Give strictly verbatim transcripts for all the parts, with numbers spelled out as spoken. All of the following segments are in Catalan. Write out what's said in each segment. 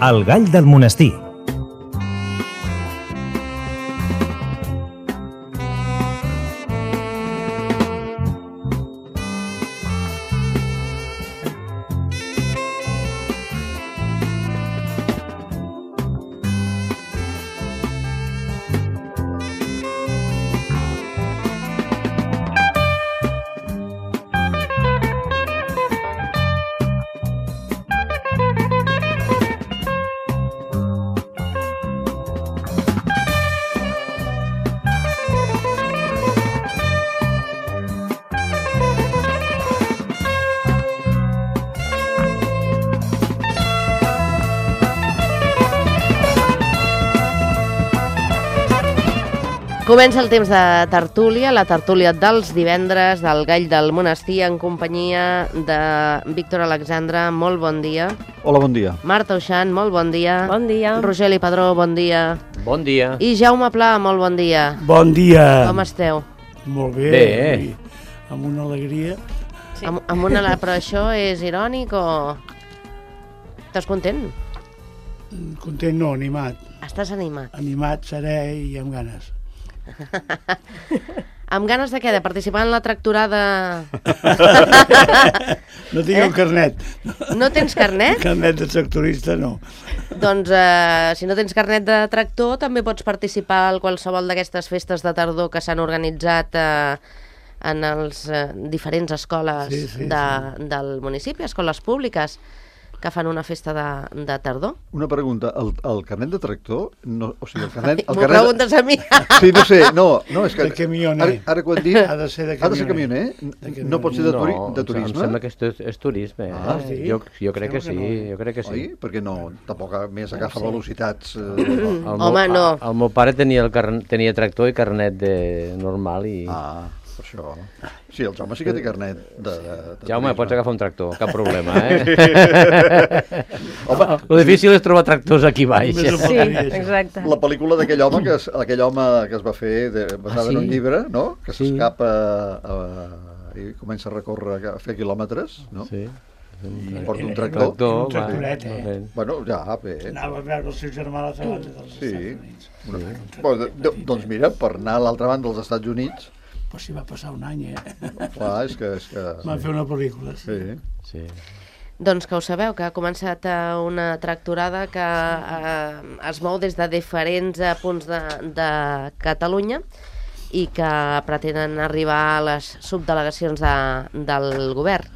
El gall del monestir. Comença el temps de tertúlia, la tertúlia dels divendres del Gall del Monestir en companyia de Víctor Alexandre, molt bon dia. Hola, bon dia. Marta Uixant, molt bon dia. Bon dia. Rogeli Padró, bon dia. Bon dia. I Jaume Pla, molt bon dia. Bon dia. Com esteu? Molt bé. Bé. Amb una alegria. Sí. Amb, amb una... Però això és irònic o... Estàs content? Content no, animat. Estàs animat. Animat, serè i amb ganes. Amb ganes de què? De participar en la tractorada? No tinc eh? el carnet. No tens carnet? Carnet de tractorista no. Doncs eh, si no tens carnet de tractor també pots participar en qualsevol d'aquestes festes de tardor que s'han organitzat eh, en les eh, diferents escoles sí, sí, de, sí. del municipi, escoles públiques que fan una festa de, de tardor. Una pregunta, el, el carnet de tractor, no, o sigui, el carnet... El M'ho carnet... preguntes a mi? Sí, no sé, no, no, és que... De camioner. Ara, ara quan dic... Ha de ser de Ha de ser camioner. camioner? De No pot ser de, turi No, de turisme? em sembla que és, és turisme. Eh? Ah, sí? Jo, jo crec que Sembla sí, que no. jo crec que sí. Oi? Perquè no, tampoc a més agafa Sí. velocitats... Eh... El Home, meu, no. El, el meu pare tenia, el carn, tenia tractor i carnet de normal i... Ah, per això... Sí, el Jaume sí que té carnet de, de, de Jaume, turisme. pots agafar un tractor, cap problema, eh? Home, lo difícil és trobar tractors aquí baix. Només ho Sí, podria ser. exacte. La pel·lícula d'aquell home que es, aquell home que es va fer de, basada Ah, sí? en un llibre, no? Que Sí. s'escapa a, i comença a recórrer, a fer quilòmetres, no? Sí. I porta un Era- tractor. Tractor, un tractoret, va, eh? va. Bueno, ja, bé. Anava a veure el seu germà a l'altra banda dels Sí. Estats Units. Una... Bueno, do, doncs mira, per anar a l'altra banda dels Estats Units, Però si va passar un any, eh? clar, és que... És que... Van fer una pel·lícula, sí. Sí. Sí. Doncs que ho sabeu, que ha començat eh, una tractorada que eh, es mou des de diferents eh, punts de, de Catalunya i que pretenen arribar a les subdelegacions de, del govern.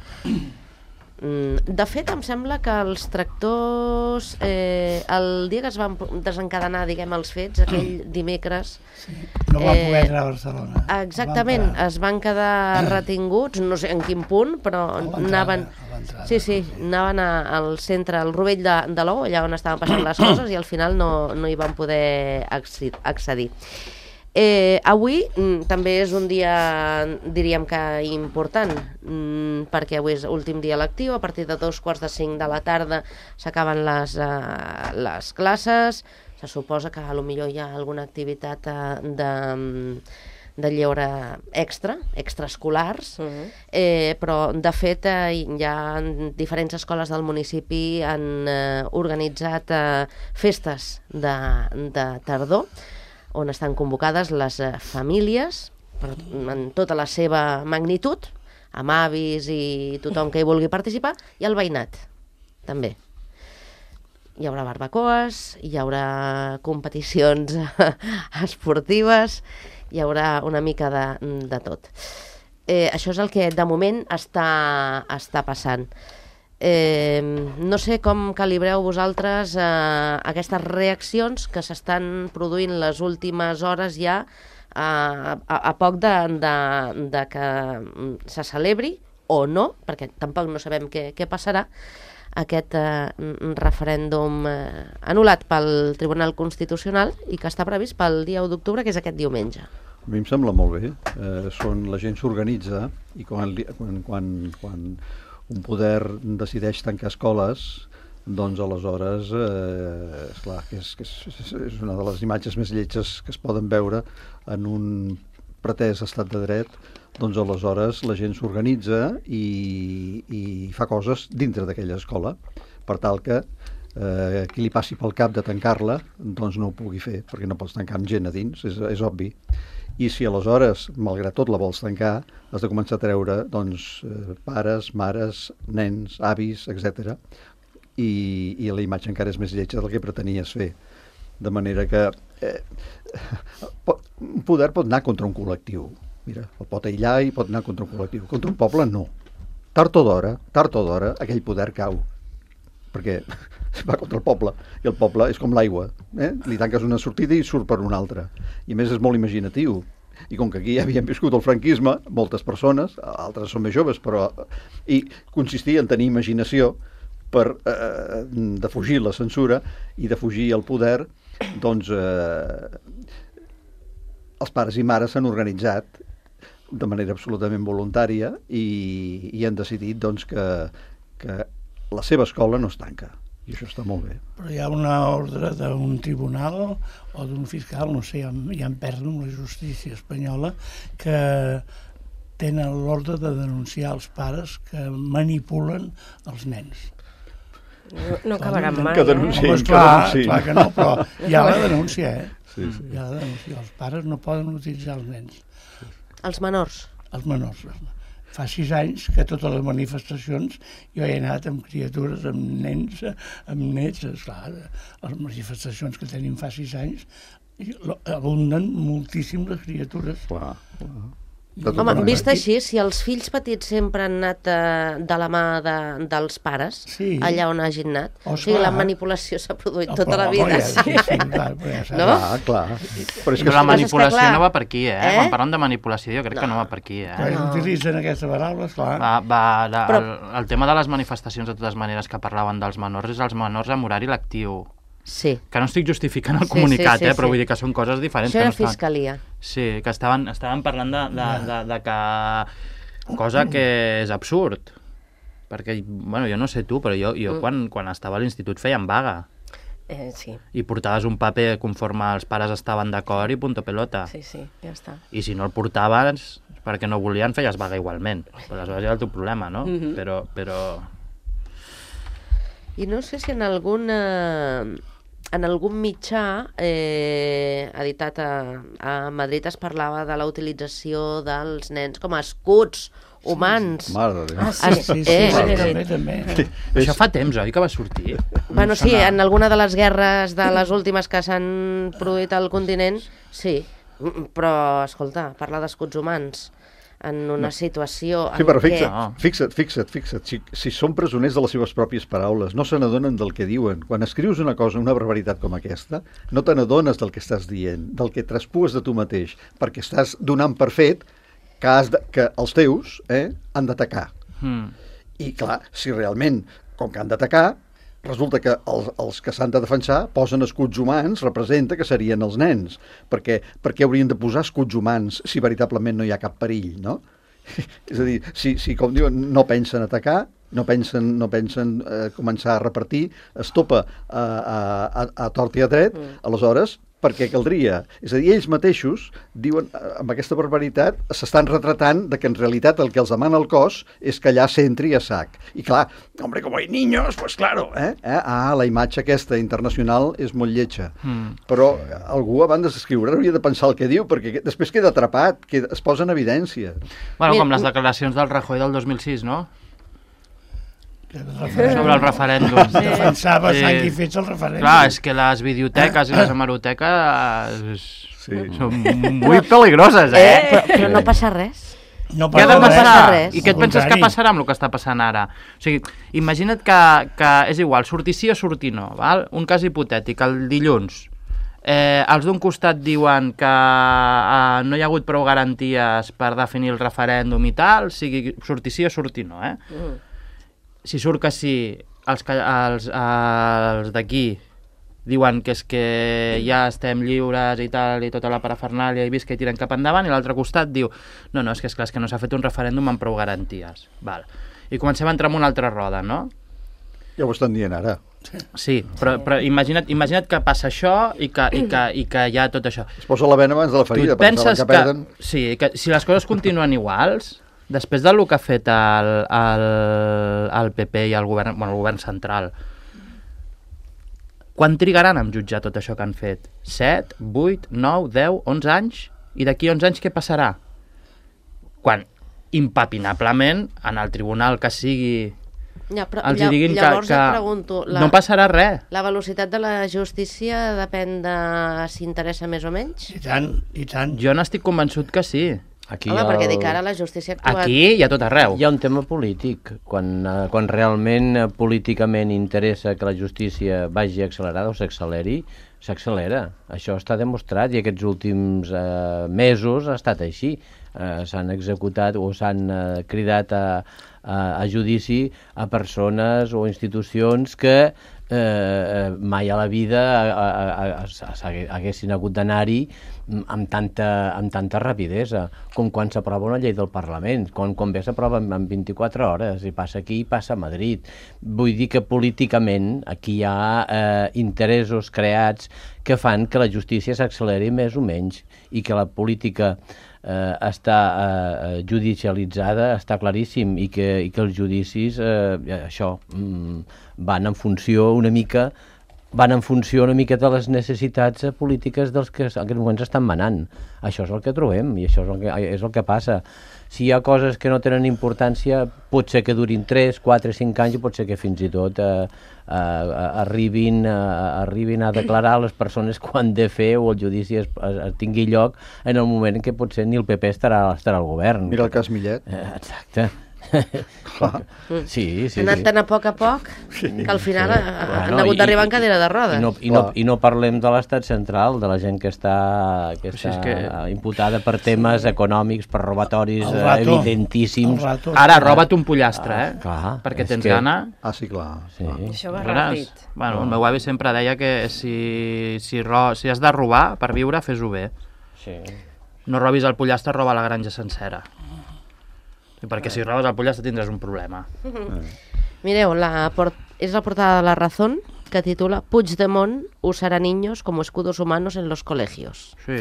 Mm, De fet, em sembla que els tractors, eh, el dia que es van desencadenar, diguem, els fets, aquell dimecres... No van Eh, poder entrar a Barcelona. Exactament, Van parar. es van quedar retinguts, no sé en quin punt, però A l'entrada, anaven... a l'entrada, Sí, sí, anaven a, al centre, al Rovell de, de l'Ou, allà on estaven passant les coses, i al final no, no hi van poder acci- accedir. Eh, avui mm, també és un dia, diríem que important, mm, perquè avui és últim dia lectiu, a partir de dos quarts de cinc de la tarda s'acaben les, eh, les classes, se suposa que a lo millor hi ha alguna activitat eh, de, de lleure extra, extraescolars, Uh -huh. eh, però de fet eh, hi ha diferents escoles del municipi han eh, organitzat eh, festes de, de tardor, on estan convocades les eh, famílies, però en tota la seva magnitud, amb avis i tothom que hi vulgui participar, i el veïnat, també. Hi haurà barbacoes, hi haurà competicions esportives, hi haurà una mica de, de tot. Eh, això és el que de moment està, està passant. Eh, no sé com calibreu vosaltres eh, aquestes reaccions que s'estan produint les últimes hores ja a, a, a poc de, de, de que se celebri o no, perquè tampoc no sabem què, què passarà, aquest eh, referèndum eh, anul·lat pel Tribunal Constitucional i que està previst pel dia u d'octubre, que és aquest diumenge. A mi em sembla molt bé. Eh, són, la gent s'organitza i quan, li- quan, quan, quan un poder decideix tancar escoles, doncs aleshores, eh, esclar, que és, que és, és una de les imatges més lletges que es poden veure en un pretès estat de dret, doncs aleshores la gent s'organitza i, i fa coses dintre d'aquella escola, per tal que eh, qui li passi pel cap de tancar-la, doncs no ho pugui fer, perquè no pots tancar amb gent a dins, és, és obvi. I si aleshores, malgrat tot, la vols tancar, has de començar a treure doncs, eh, pares, mares, nens, avis, etcètera. I, i la imatge encara és més lletja del que pretenies fer. De manera que eh, pot, un poder pot anar contra un col·lectiu. Mira, el pot aïllar i pot anar contra un col·lectiu. Contra un poble, no. Tard o d'hora, tard o d'hora, aquell poder cau. Perquè va contra el poble, i el poble és com l'aigua, eh? Li tanques una sortida i surt per una altra. I a més és molt imaginatiu. I com que aquí ja havien viscut el franquisme, moltes persones, altres són més joves, però... I consistia en tenir imaginació per eh, defugir la censura i defugir el poder, doncs eh, els pares i mares s'han organitzat de manera absolutament voluntària i, i han decidit doncs, que, que la seva escola no es tanca. I això està molt bé. Però hi ha una ordre d'un tribunal o d'un fiscal, no sé, ja, ja em perdo amb la justícia espanyola, que tenen l'ordre de denunciar els pares que manipulen els nens. No, no acabarà mai. Que denunciïn, eh? Home, que clar, denunciïn. clar que no, però hi ha la denúncia, eh? Sí, sí. Hi ha la denúncia. Els pares no poden utilitzar els nens. Els menors. Els menors. Fa sis anys que totes les manifestacions jo he anat amb criatures, amb nens, amb nets, esclar, les manifestacions que tenim fa sis anys abunden moltíssim les criatures. Clar, clar. Home, vist així, si els fills petits sempre han anat eh, de la mà de, dels pares, sí, allà on hagin anat, oh, o sigui, clar, la manipulació s'ha produït oh, tota la oh, vida. ja, sí, sí, clar, ja no? Clar, clar. Però és Però que la manipulació clar. no va per aquí, eh? Eh? Quan parlem de manipulació jo crec No. que no va per aquí, eh? quan No. utilitzen aquesta paraula, esclar. Va, va, la, Però- el, el tema de les manifestacions, de totes maneres, que parlaven dels menors, és els menors amb horari lectiu. Sí. Que no estic justificant el Sí, comunicat, sí, sí, eh? Però sí. vull dir que són coses diferents. Això que era no estan- fiscalia. Sí, que estaven, estaven parlant de, de, de, de que... Cosa que és absurd. Perquè, bueno, jo no sé tu, però jo, jo Mm. quan, quan estava a l'institut feien vaga. Eh, sí, I portaves un paper conforme els pares estaven d'acord i punto pelota. sí, sí, ja està. I si no el portaves perquè no volien, feies vaga igualment. Però aleshores era el teu problema, no? Mhm. Però... però... I no sé si en algun, eh, en algun mitjà eh, editat a, a Madrid es parlava de la utilització dels nens com a escuts humans. Mare de Déu. Ah, sí. Sí, sí, Eh, sí, sí, també, també. Això fa temps, oi, que va sortir? Bueno, Em sí, sona- en alguna de les guerres de les últimes que s'han produït al continent, sí. Mm, Però, escolta, parlar d'escuts humans en una situació Sí, en però què... fixa't, No. fixa't, fixa't, fixa't. Si, si són presoners de les seves pròpies paraules, no se n'adonen del que diuen. Quan escrius una cosa, una barbaritat com aquesta, no te n'adones del que estàs dient, del que traspues de tu mateix, perquè estàs donant per fet que, has de, que els teus eh, han d'atacar. Mm. I clar, si realment, com que han d'atacar, resulta que els, els que s'han de defensar posen escuts humans, representa que serien els nens. Perquè, perquè haurien de posar escuts humans si veritablement no hi ha cap perill, no? És a dir, si, si com diuen, no pensen atacar, no pensen, no pensen eh, començar a repartir, es topa a, a, a, a tort i a dret, mm. aleshores, per què caldria? És a dir, ells mateixos diuen, eh, amb aquesta barbaritat, s'estan retratant de que en realitat el que els demana el cos és que allà s'entri a sac. I clar, hombre, com hay niños, pues claro, eh? eh? Ah, la imatge aquesta internacional és molt lletja. Mm. Però algú abans d'escriure hauria de pensar el que diu, perquè després queda atrapat, queda, es posa en evidència. Bueno, Mira, com les un- declaracions del Rajoy del dos mil sis, no? Referèndum. Sobre el referèndum. Defensava Sí. sang i fets el referèndum. Clar, és que les videoteques i les hemeroteques Sí. són molt peligroses, eh? Eh, però, però no passa res. No Què ha de passa res. passar? res. I què et Al penses que contrari. passarà amb el que està passant ara? O sigui, imagina't que, que és igual, sortir sí o sortir no, val? Un cas hipotètic, el dilluns. Eh, els d'un costat diuen que eh, no hi ha hagut prou garanties per definir el referèndum i tal, sigui sortir sí o sortir no, eh? Mm. Si surt que sí, els, que- els, els d'aquí diuen que és que ja estem lliures i tal, i tota la parafernàlia i visca i tiren cap endavant, i l'altre costat diu no, no, és que és clar, és que no s'ha fet un referèndum amb prou garanties. Val. I comencem a entrar en una altra roda, no? Ja ho estan dient ara. Sí, però, però imagina't, imagina't que passa això i que, i, que, i que hi ha tot això. Es posa la vena abans de la Tu ferida, et perquè saben penses que que, perden. sí, que si les coses continuen iguals, després del que ha fet el, el, el P P i el govern, bueno, el govern central, Quan trigaran a jutjar tot això que han fet? set, vuit, nou, deu, onze anys? I d'aquí onze anys què passarà? Quan impapinablement en el tribunal que sigui Ja, però, els hi diguin llavors que, que et pregunto, la, no passarà res. La velocitat de la justícia depèn de si interessa més o menys? I tant, i tant. Jo n'estic convençut que sí. Aquí Home, hi ha perquè el- dic ara la justícia ha actuat... Aquí i a tot arreu. Hi ha un tema polític. Quan, eh, quan realment eh, políticament interessa que la justícia vagi accelerada o s'acceleri, s'accelera. Això està demostrat i aquests últims eh, mesos ha estat així. Eh, s'han executat o s'han eh, cridat a, a, a judici a persones o institucions que eh, mai a la vida a, a, a, a, haguessin hagut d'anar-hi amb tanta, amb tanta rapidesa, com quan s'aprova una llei del Parlament, quan, quan bé s'aprova en, en vint-i-quatre hores, i passa aquí i passa a Madrid. Vull dir que políticament aquí hi ha eh, interessos creats que fan que la justícia s'acceleri més o menys, i que la política eh, està eh, judicialitzada, està claríssim, i que, i que els judicis eh, això mm, van en funció una mica van en funció una mica de les necessitats polítiques dels que en aquest moment estan manant. Això és el que trobem i això és el que, és el que passa. Si hi ha coses que no tenen importància, pot ser que durin tres, quatre, cinc anys i pot ser que fins i tot eh, eh, arribin, eh, arribin a declarar les persones quan de fer o el judici es, es, es tingui lloc en el moment en què potser ni el P P estarà, estarà al govern. Mira el cas Millet. Eh, exacte. Sí, sí, Han anat sí. tan a poc a poc que al final Sí. ha- Bueno, han hagut i- d'arribar en i- cadira de rodes. I no, i, no, I no parlem de l'estat central, de la gent que està, que Si està és que- imputada per temes econòmics, per robatoris El eh, rato. evidentíssims. El rato. Ara, roba't un pollastre, eh? Clar, Perquè és tens que- gana. Ah, sí, clar. Sí. clar. Això va Aleshores, ràpid. bueno, el meu avi sempre deia que si, si, ro, si has de robar per viure, fes-ho bé. Sí. No robis el pollastre, roba la granja sencera. I perquè si robes el pollastre tindràs un problema. Mireu, la port... és la portada de La Razón, que titula Puigdemont usarà niños como escudos humanos en los colegios. Sí.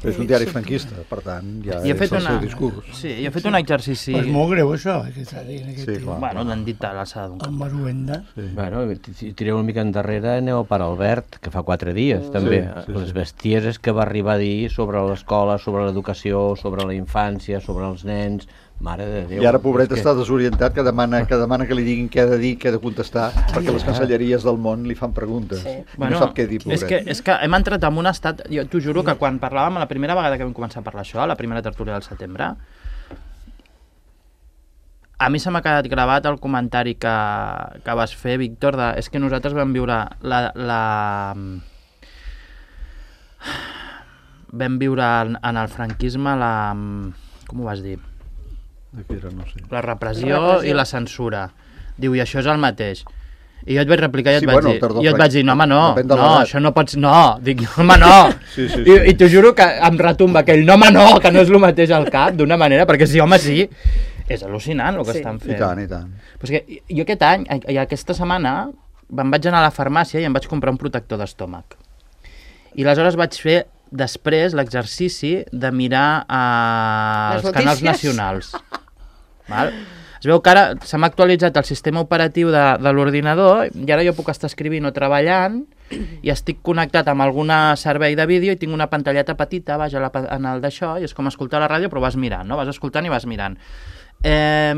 És un diari franquista, per tant, ja I he és fet el una... seu discurs. Sí, i he fet un exercici... Però és molt greu això, eh, que està dient aquest Sí, tio. clar. Bueno, l'han dit a l'alçada d'un El cap. Maruenda. Sí. Bueno, si tireu una mica endarrere, aneu per Albert, que fa quatre dies, també. Sí, sí, Les sí. bestieses que va arribar a dir sobre l'escola, sobre l'educació, sobre la infància, sobre els nens... Mare de Déu. I ara, pobret, és que- està desorientat, que demana, que demana que li diguin què ha de dir, què ha de contestar, perquè les cancelleries del món li fan preguntes. Sí. No sap què dir, pobret. és que, és que hem entrat en un estat... Jo t'ho juro que quan parlàvem, la primera vegada que vam començar a parlar això, la primera tertúlia del setembre, a mi se m'ha quedat gravat el comentari que, que vas fer, Víctor, de, és que nosaltres vam viure la... la vam viure en, en el franquisme la... com ho vas dir? Aquí era, no sé. La repressió, La repressió. i la censura. Diu, i això és el mateix. I jo et vaig replicar i et, Sí, vaig, bueno, dir, tardor i jo et franc- vaig dir, no, home, no, depèn de no, l'edat. això no pots... No, dic, home, no. Sí, sí, I, sí. I t'ho juro que em retumba aquell, no, home, no, que no és el mateix al cap, d'una manera, perquè sí, home, sí, és al·lucinant el que Sí. estan I fent. tant, i tant. Però és que jo aquest any, i aquesta setmana, me'n vaig anar a la farmàcia i em vaig comprar un protector d'estómac. I aleshores vaig fer després l'exercici de mirar eh, Les els canals notícies. nacionals. Val? Es veu que ara se m'ha actualitzat el sistema operatiu de, de l'ordinador i ara jo puc estar escrivint o treballant i estic connectat amb algun servei de vídeo i tinc una pantalleta petita baix a la, pa- en el d'això i és com escoltar la ràdio però vas mirant, no? Vas escoltant i vas mirant. Eh,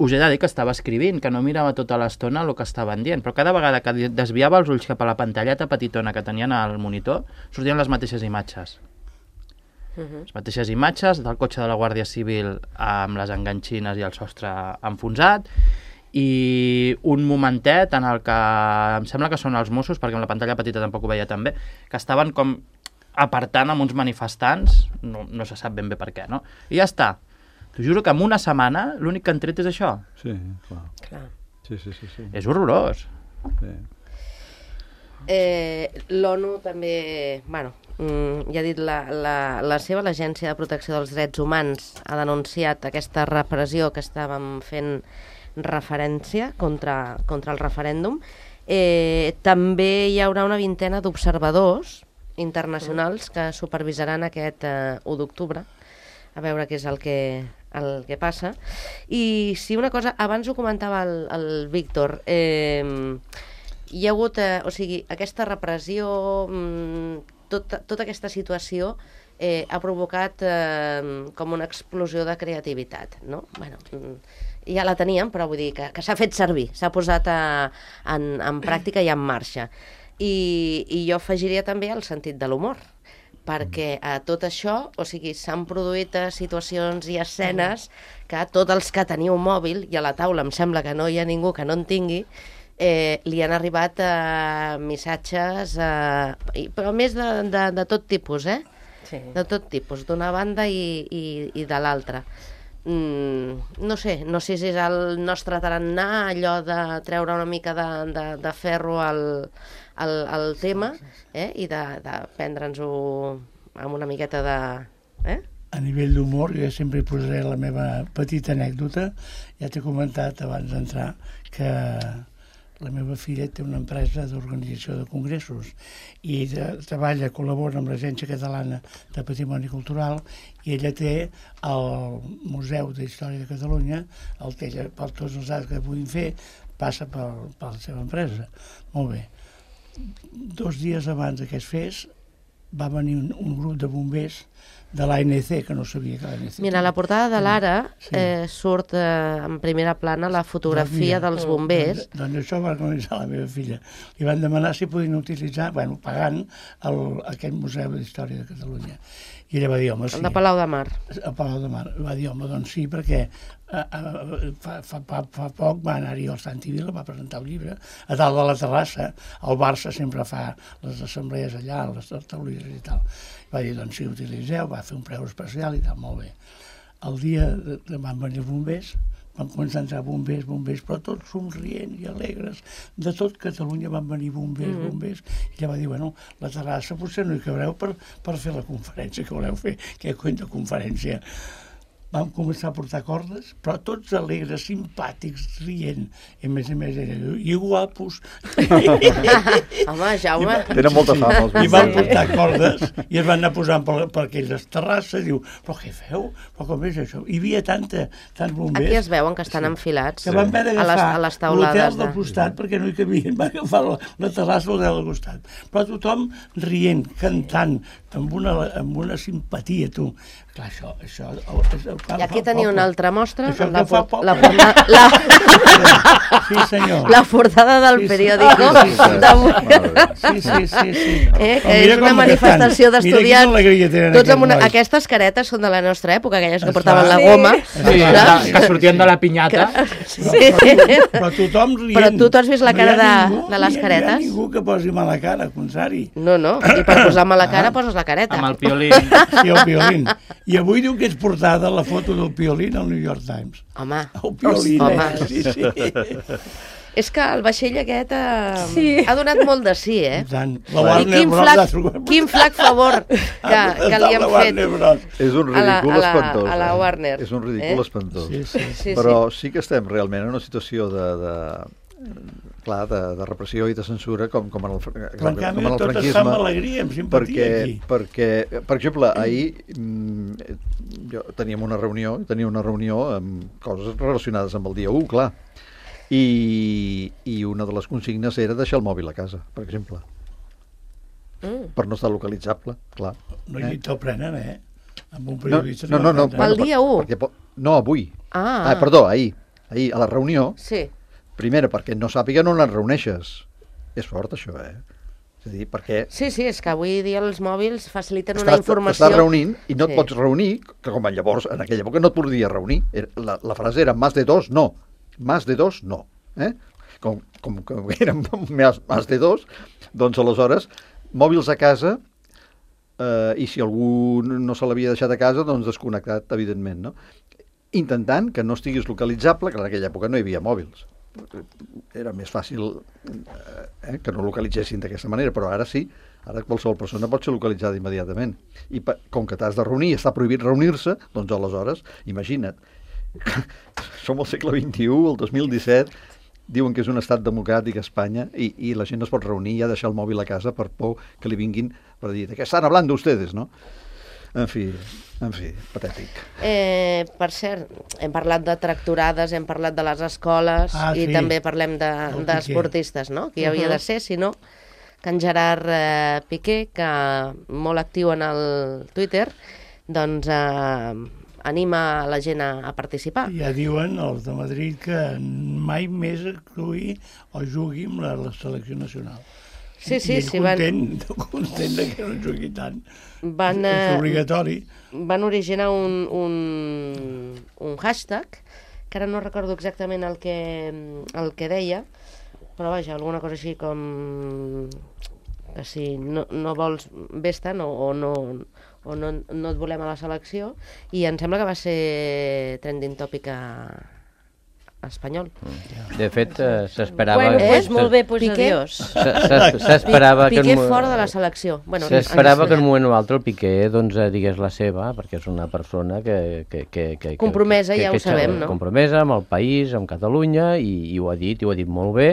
us he de dir que estava escrivint, que no mirava tota l'estona el que estaven dient, però cada vegada que desviava els ulls cap a la pantalleta petitona que tenien al monitor, sortien les mateixes imatges. Les mateixes imatges del cotxe de la Guàrdia Civil amb les enganxines i el sostre enfonsat i un momentet en el que em sembla que són els Mossos, perquè amb la pantalla petita tampoc ho veia tan bé, que estaven com apartant amb uns manifestants, no, no se sap ben bé per què, no? I ja està. T'ho juro que en una setmana l'únic que han tret és això. Sí, clar. Clar. Sí, sí, sí. sí. És horrorós. sí. Eh, L'ONU també, bueno, mm, ja ha dit la, la, la seva, l'Agència de Protecció dels Drets Humans, ha denunciat aquesta repressió que estàvem fent referència contra, contra el referèndum. Eh, també hi haurà una vintena d'observadors internacionals que supervisaran aquest eh, u d'octubre, a veure què és el que, el que passa. I sí, una cosa, abans ho comentava el, el Víctor, eh, hi ha hagut, eh, o sigui, aquesta repressió, mm, tota, tota aquesta situació eh, ha provocat eh, com una explosió de creativitat, no? Bueno, mm, ja la teníem, però vull dir que, que s'ha fet servir, s'ha posat a, en, en pràctica i en marxa. I, i jo afegiria també el sentit de l'humor, perquè a tot això, o sigui, s'han produït eh, situacions i escenes que tots els que teniu mòbil, i a la taula em sembla que no hi ha ningú que no en tingui, eh, li han arribat eh, missatges, eh, i- però més de, de, de tot tipus, eh? Sí. De tot tipus, d'una banda i, i, i de l'altra. Mm, no sé, no sé si és el nostre tarannà, allò de treure una mica de, de, de ferro al, al, al tema, eh? I de, de prendre'ns-ho amb una miqueta de... Eh? A nivell d'humor, jo sempre hi posaré la meva petita anècdota. Ja t'he comentat abans d'entrar que la meva filla té una empresa d'organització de congressos i de, treballa, col·labora amb l'Agència Catalana de Patrimoni Cultural, i ella té el Museu d'Història de Catalunya, el té ella, per tots els actes que puguin fer, passa per, per la seva empresa. Molt bé. Dos dies abans que es fes, va venir un, un grup de bombers de l'A N C, que no sabia que l'A N C... Mira, a la portada de l'Ara Sí. eh, surt eh, en primera plana la fotografia Doncs mira, dels bombers. Doncs, doncs això va organitzar la meva filla. Li van demanar si podien utilitzar, bueno, pagant el, aquest Museu d'Història de Catalunya. I ella va dir, home, sí. El de Palau de Mar. A Palau de Mar. Va dir, home, doncs sí, perquè eh, eh, fa, fa, fa, fa poc va anar-hi al Santi Vila, va presentar el llibre, a dalt de la terrassa. El Barça sempre fa les assemblees allà, les tertúlies i tal. Va dir, doncs sí, utilitzeu, va fer un preu especial i tal, molt bé. El dia de, de van venir els bombers, van començar a entrar bombers, bombers, però tots somrient i alegres. De tot Catalunya van venir bombers, Mm. bombers. I ella va dir, bueno, la terrassa potser no hi cabreu per, per fer la conferència que voleu fer. Què cony de conferència? Vam començar a portar cordes, però tots alegres, simpàtics, rient. I a més a més eren i guapos. Home, Jaume, Tenen molta fama, els I van bombers. portar cordes i es van anar posant per, per aquelles terrasses. Diu, però què feu? Però com és això? Hi havia tanta, tants bombers aquí es veuen que estan enfilats que van haver a les, d'agafar a les l'hotel taulades. del De... costat perquè no hi cabien, van agafar la, la terrassa de l'hotel del costat. Però tothom rient, cantant, amb una, amb una simpatia, tu. Clar, això... això el, és el I aquí teniu una altra mostra, Això la, que fa por- poble. la, porta, la, Sí, senyor. la portada del Sí, sí. periòdico Ah, sí, sí. d'avui. Sí, sí, sí, sí. Eh, que Però mira és una com manifestació cantant. Mira d'estudiants. quina alegria tenen Tots amb aquests una... nois. Aquestes caretes són de la nostra època, aquelles que Esclar. portaven la Sí. goma. Sí, saps? que, que sortien de la pinyata. Sí. Però tothom rient. Però tu, tu has vist la No hi ha cara de, ningú- de les no hi ha caretes? ningú que posi mala cara, al contrari. No, no, i per posar-me la Ah. cara poses la careta. Amb el piolín. Sí, el Piolín. I avui diu que és portada la foto del Piolín al New York Times. Home, El Piolín, home. eh? Sí, sí. és que el vaixell aquest eh, Sí. ha donat molt de sí, eh? I tant. La I Warner quin Bros. flac, ha trobat- quin flac favor que, que li La han Warner fet Bros. És un a la- ridícul a la- espantós. a la eh? Warner, És un ridícul eh? espantós. Sí, sí. Sí, Però sí que estem realment en una situació de, de, clar, de, de repressió i de censura com, com en el, fr- Però en com canvi en el tot es fa amb franquisme. alegria, amb simpatia Perquè, aquí. perquè, per exemple, ahir mm, jo teníem una reunió, tenia una reunió amb coses relacionades amb el dia u, clar. I, I una de les consignes era deixar el mòbil a casa, per exemple, Mm. per no estar localitzable, clar. No, Eh? i te'l prenen, eh? Amb un No, periodista... no, no, no, te'l Pel prenen. dia u? Perquè, po- no, avui. Ah, Ah, perdó, ahir. Ahir, a la reunió, Sí. primera, perquè no sàpiguen on et reuneixes. És fort, això, eh? És a dir, perquè Sí, sí, és que avui dia els mòbils faciliten una estàs, informació... t'estàs reunint i no et Sí. pots reunir, que com llavors, en aquella època no et podies reunir. Era- La, la frase era más de dos, no. Más de dos, no. Eh? Com, com, com que eren més, més de dos, doncs aleshores, mòbils a casa, eh, i si algú no se l'havia deixat a casa, doncs desconnectat, evidentment, no? Intentant que no estiguis localitzable, que en aquella època no hi havia mòbils. Era més fàcil eh, que no localitzessin d'aquesta manera, però ara sí, ara qualsevol persona pot ser localitzada immediatament. I pa, com que t'has de reunir, està prohibit reunir-se, doncs aleshores, imagina't, som al segle vint-i-u, el dos mil disset, diuen que és un estat democràtic a Espanya i, i la gent no es pot reunir i ha de deixar el mòbil a casa per por que li vinguin per dir, de què estan hablando ustedes, no? En fi, en fi, patètic. Eh, per cert, hem parlat de tracturades, hem parlat de les escoles Ah, i sí. també parlem de- El Piqué. d'esportistes, no? Que hi havia de ser, si no, que en Gerard eh, Piqué, que molt actiu en el Twitter, doncs eh, anima la gent a, a participar. Ja diuen els de Madrid que mai més actuï o jugui amb la, la selecció nacional. Sí, sí, I ell sí, van- content, content de que no jugui tant. Van, És eh, obligatori. van originar un, un, un hashtag, que ara no recordo exactament el que, el que deia, però vaja, alguna cosa així com que si no, no vols vés-te'n o, o, no, o no, no et volem a la selecció, i em sembla que va ser trending topic a, a espanyol. De fet, eh, s'esperava... Bueno, Eh? pues molt bé, pues Piqué? adiós. Se- se- S'esperava que... Piqué en mo- fora de la selecció. Bueno, S'esperava ens- que en un moment o altre el Piqué doncs, eh, digués la seva, perquè és una persona que... que, que, que Compromesa, que, ja que, ho sabem, no? Compromesa amb el país, amb Catalunya, i, i ho ha dit, i ho ha dit molt bé,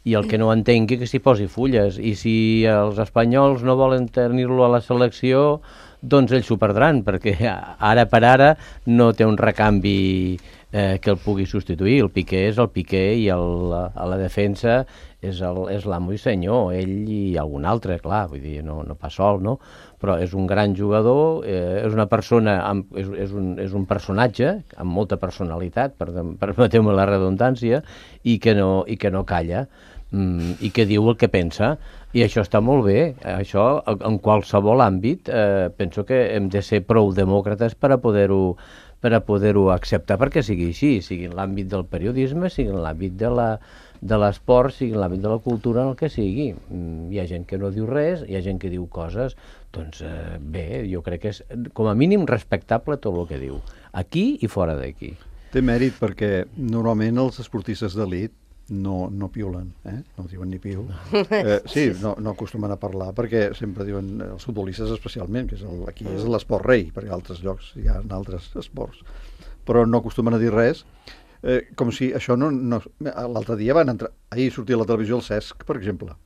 i el que no entengui que s'hi posi fulles, i si els espanyols no volen tenir-lo a la selecció, doncs ells s'ho perdran, perquè ara per ara no té un recanvi eh, que el pugui substituir. El Piqué és el Piqué i el, a la defensa és el- és l'amo i senyor, ell i algun altre, clar, vull dir, no, no pas sol, no? Però és un gran jugador, eh, és una persona, amb, és, és, un, és un personatge amb molta personalitat, per, permeteu-me la redundància, i que no, i que no calla, mm, i que diu el que pensa, i això està molt bé. Això, en qualsevol àmbit, eh, penso que hem de ser prou demòcrates per a poder-ho per a poder-ho acceptar perquè sigui així, sigui en l'àmbit del periodisme, sigui en l'àmbit de la de l'esport, sigui en l'àmbit de la cultura, en el que sigui. Mm, Hi ha gent que no diu res, hi ha gent que diu coses, doncs eh, bé, jo crec que és com a mínim respectable tot el que diu, aquí i fora d'aquí. Té mèrit perquè normalment els esportistes d'elit no, no piulen, eh? No diuen ni piu. Eh, sí, no, no acostumen a parlar perquè sempre diuen, els futbolistes especialment, que és el, aquí és l'esport rei, perquè a altres llocs hi ha altres esports, però no acostumen a dir res, eh, com si això no... no l'altre dia van entrar, ahir sortia a la televisió el Cesc, per exemple,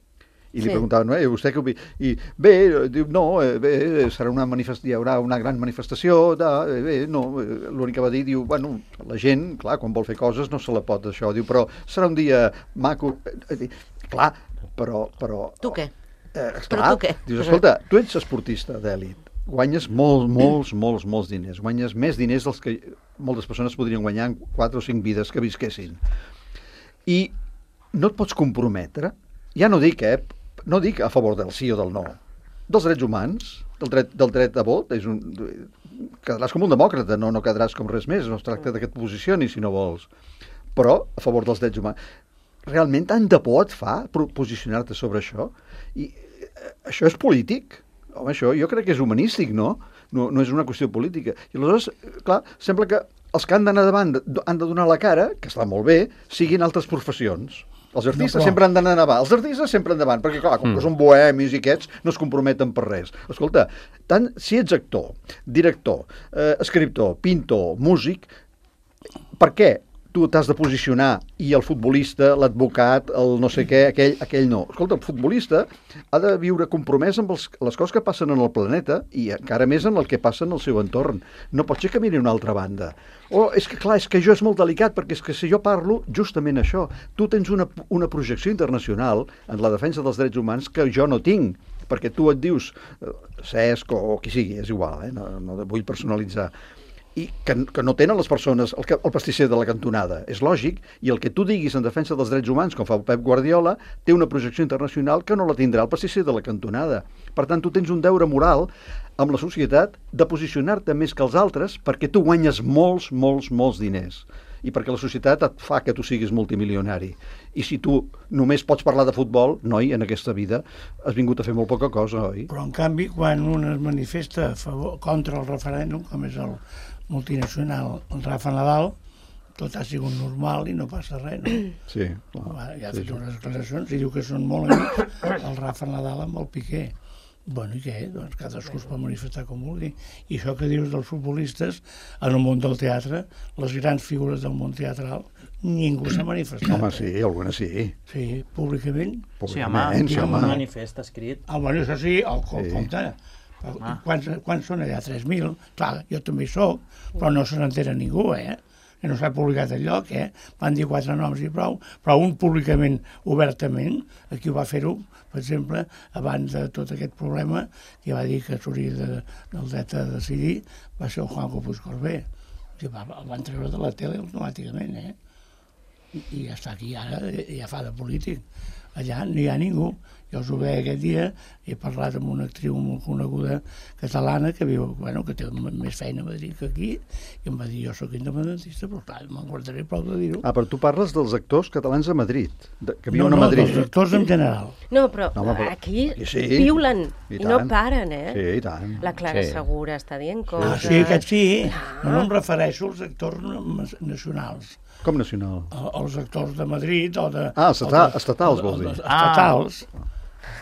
i li Sí. preguntaven, eh, vostè què opina? I bé, diu, no, eh, bé, serà una manifest... hi haurà una gran manifestació, de, eh, bé, no, eh, l'únic que va dir, diu, bueno, la gent, clar, quan vol fer coses no se la pot això, diu, però serà un dia maco, eh, eh, clar, però... però Tu què? Eh, Però clar, tu què? dius, escolta, tu ets esportista d'èlit, guanyes molts, molts, molts, molts diners, guanyes més diners dels que moltes persones podrien guanyar en quatre o cinc vides que visquessin. I no et pots comprometre, ja no dic, eh, no dic a favor del sí o del no, dels drets humans, del dret, del dret a vot, és un, quedaràs com un demòcrata, no, no quedaràs com res més, no es tracta de que et posicionis si no vols, però a favor dels drets humans. Realment tant de por et fa pro- posicionar-te sobre això? I eh, això és polític? Home, això jo crec que és humanístic, no? No, no és una qüestió política. I aleshores, clar, sembla que els que han d'anar davant de- han de donar la cara, que està molt bé, siguin altres professions. Els artistes No, però- sempre han d'anar davant. Els artistes sempre endavant, perquè clar, com que són bohemis i aquests, no es comprometen per res. Escolta, tant si ets actor, director, eh, escriptor, pintor, músic, per què tu t'has de posicionar i el futbolista, l'advocat, el no sé què, aquell, aquell no? Escolta, el futbolista ha de viure compromès amb els, les coses que passen en el planeta i encara més en el que passa en el seu entorn. No pot ser que miri una altra banda. O és que, clar, és que això és molt delicat, perquè és que si jo parlo justament això, tu tens una, una projecció internacional en la defensa dels drets humans que jo no tinc, perquè tu et dius eh, Cesc o, o qui sigui, és igual, eh? no, no vull personalitzar, i que, que no tenen les persones el, que, el pastisser de la cantonada. És lògic, i el que tu diguis en defensa dels drets humans, com fa Pep Guardiola, té una projecció internacional que no la tindrà el pastisser de la cantonada. Per tant, tu tens un deure moral amb la societat de posicionar-te més que els altres perquè tu guanyes molts, molts, molts diners i perquè la societat et fa que tu siguis multimilionari. I si tu només pots parlar de futbol, noi, en aquesta vida has vingut a fer molt poca cosa, oi? Però, en canvi, quan un es manifesta a favor, contra el referèndum, com és el multinacional, el Rafa Nadal, tot ha sigut normal i no passa res, no? Sí. Va, ja ha sí, fet sí. unes declaracions i diu que són molt amics, el Rafa Nadal amb el Piqué. Bueno, i què? Doncs cadascú es pot manifestar com vulgui. I això que dius dels futbolistes, en el món del teatre, les grans figures del món teatral, ningú s'ha manifestat. Home, sí, alguna sí. Sí, públicament. Sí, home, Públicament, sí, sí, home, home. un manifest escrit. Ah, bueno, això sí, el, Sí. sí. compte. Ah. Quants, quants són allà? tres mil? Clar, jo també hi soc, però no se n'entera ningú, eh? Que no s'ha publicat enlloc, eh? Van dir quatre noms i prou, però un públicament, obertament, aquí ho va fer-ho, per exemple, abans de tot aquest problema, que va dir que s'hauria de, del dret a decidir, va ser el Juanjo Puigcorbé. El van treure de la tele automàticament, eh? I, i ja està aquí, ara ja fa de polític. Allà no hi ha ningú. Jo us ho veia aquest dia, he parlat amb una actriu molt coneguda catalana que viu, bueno, que té més feina a Madrid que aquí, i em va dir, jo sóc independentista, però clar, me'n guardaré prou de dir-ho. Ah, però tu parles dels actors catalans a Madrid, de, que viuen no, no, a Madrid. No, dels actors en general. No, però, no, home, però aquí, aquí sí, piulen i, i no paren, eh? Sí, i tant. La Clara Sí. Segura està dient Ah, coses. sí, aquest sí. No, no em refereixo als actors nacionals. Com nacional? Els actors de Madrid o de... Ah, estata, estatals, vols dir? Estatals.